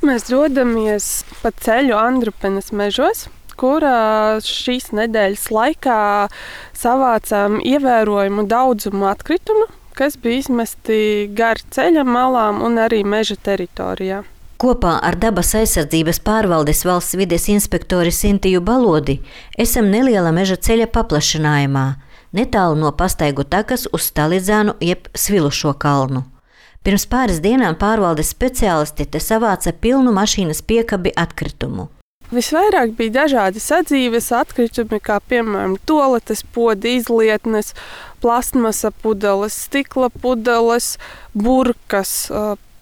mēs dodamies pa ceļu Andrupenes mežos, kur šīs nedēļas laikā savācām ievērojumu daudzumu atkritumu, kas bija izmesti gar ceļa malām un arī meža teritorijā. Kopā ar Dabas aizsardzības pārvaldes valsts vides inspektori Sintiju Balodi esam neliela meža ceļa paplašinājumā, netālu no Pastaigu takas uz Stalidzānu jeb Svilušo kalnu. Pirms pāris dienām pārvaldes speciālisti te savāca pilnu mašīnas piekabi atkritumu. Visvairāk bija dažādi sadzīves atkritumi, kā piemēram toaletes podi, izlietnes, plastmasa pudeles, stikla pudeles, burkas,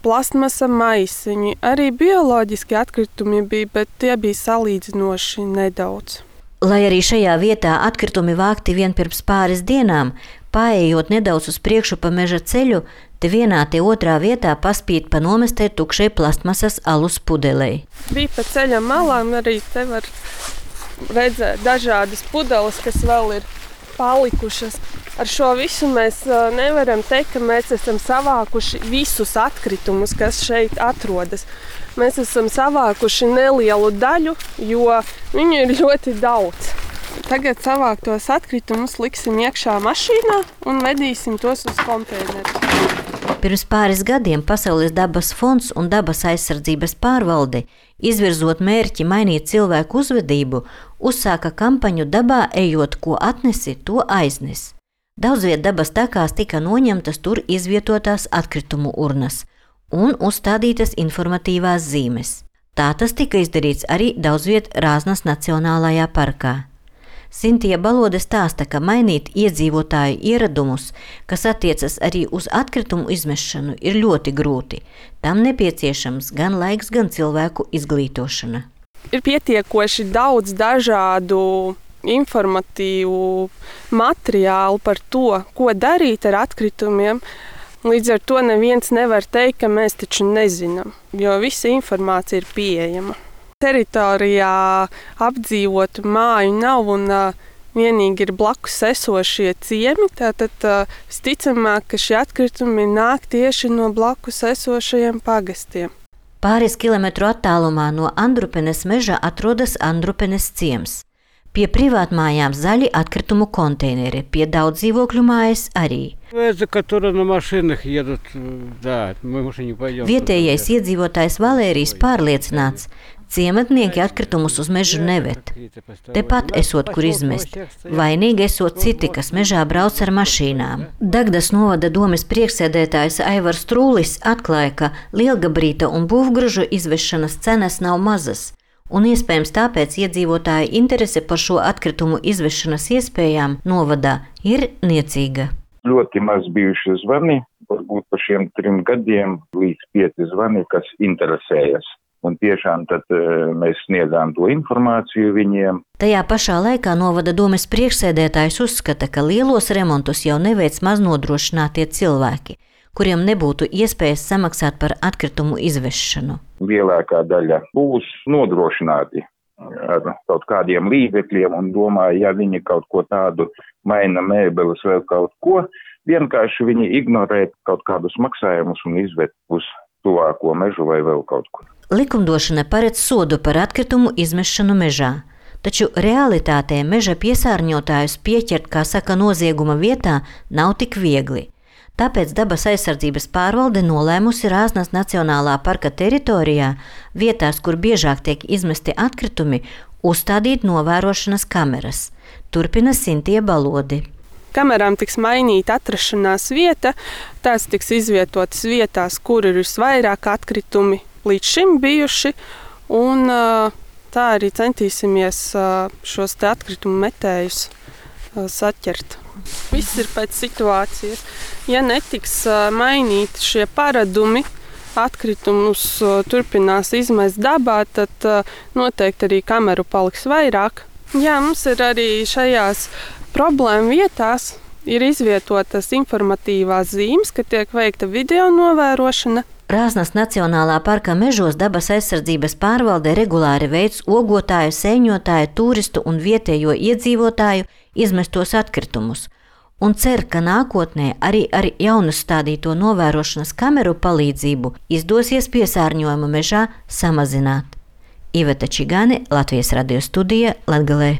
plastmasa maisiņi. Arī bioloģiski atkritumi bija, bet tie bija salīdzinoši nedaudz. Lai arī šajā vietā atkritumi vākti vien pirms pāris dienām, paejot nedaudz uz priekšu pa meža ceļu, te vienā te otrā vietā paspīt pa nomestai tukšai plastmasas alus pudelei. Bija pa ceļa malām, arī te var redzēt dažādas pudeles, kas vēl ir palikušas. Ar šo visu mēs nevaram teikt, ka mēs esam savākuši visus atkritumus, kas šeit atrodas. Mēs esam savākuši nelielu daļu, jo viņu ir ļoti daudz. Tagad savāktos atkritumus liksim iekšā mašīnā un vedīsim tos uz konteineru. Pirms pāris gadiem Pasaules dabas fonds un Dabas aizsardzības pārvalde, izvirzot mērķi mainīt cilvēku uzvedību, uzsāka kampaņu Dabā ejot, ko atnesi, to aiznes. Daudzviet dabas takās tika noņemtas tur izvietotās atkritumu urnas un uzstādītas informatīvās zīmes. Tā tas tika izdarīts arī daudzviet Rāznas Nacionālajā parkā. Sintija Balode stāsta, ka mainīt iedzīvotāju ieradumus, kas attiecas arī uz atkritumu izmešanu, ir ļoti grūti. Tam nepieciešams gan laiks, gan cilvēku izglītošana. Ir pietiekoši daudz dažādu informatīvu materiālu par to, ko darīt ar atkritumiem. Līdz ar to neviens nevar teikt, ka mēs taču nezinām, jo visa informācija ir pieejama. Teritorijā apdzīvotu māju nav un vienīgi ir blakus esošie ciemi, tātad visticamāk, ka šie atkritumi nāk tieši no blakus esošajiem pagastiem. Pāris kilometru attālumā no Andrupenes meža atrodas Andrupenes ciems. Pie privātmājām zaļi atkritumu konteineri, pie daudz dzīvokļu mājas arī. Vietējais iedzīvotājs Valērijs pārliecināts, ciematnieki atkritumus uz mežu neved. Tepat esot, kur izmest. Vainīgi esot citi, kas mežā brauc ar mašīnām. Dagdas novada domes priekšsēdētājs Aivars Trūlis atklāja, ka lielgabrīta un būvgražu izvešanas cenas nav mazas. Un iespējams tāpēc iedzīvotāju interese par šo atkritumu izvešanas iespējām novadā ir niecīga. Ļoti maz bijuši zvani, varbūt par šiem 3 gadiem līdz 5 zvani, kas interesējas. Un tiešām tad mēs sniedzām to informāciju viņiem. Tajā pašā laikā novada domes priekšsēdētājs uzskata, ka lielos remontus jau neveic maznodrošinātie cilvēki, kuriem nebūtu iespējas samaksāt par atkritumu izvešanu. Lielākā daļa būs nodrošināti ar kaut kādiem līdzekļiem un domāju, ja viņi kaut ko tādu maina mēbeles vai kaut ko, vienkārši viņi ignorē kaut kādus maksājumus un izved uz tuvāko mežu vai vēl kaut kur. Likumdošana paredz sodu par atkritumu izmešanu mežā, taču realitātē meža piesārņotājus pieķert, kā saka, nozieguma vietā nav tik viegli. Tāpēc Dabas aizsardzības pārvalde nolēmusi Rāznas Nacionālā parka teritorijā, vietās, kur biežāk tiek izmesti atkritumi, uzstādīt novērošanas kameras. Turpina Sintija Balodi. Kamerām tiks mainīta atrašanās vieta, tās tiks izvietotas vietās, kur ir visvairāk atkritumi līdz šim bijuši, un tā arī centīsimies šos te atkritumu metējus saķert. Viss ir pēc situācijas. Ja netiks mainīti šie paradumi, atkritumus turpinās izmest dabā, tad noteikti arī kameru paliks vairāk. Jā, mums ir arī šajās problēmu vietās ir izvietotas informatīvās zīmes, ka tiek veikta video novērošana. Rāznas Nacionālā parka mežos Dabas aizsardzības pārvalde regulāri veic ogotāju, sēņotāju, turistu un vietējo iedzīvotāju izmestos atkritumus. un cer, ka nākotnē arī ar jaunuzstādīto novērošanas kameru palīdzību izdosies piesārņojumu mežā samazināt. Iveta Čigāne, Latvijas radio studija, Latgalē.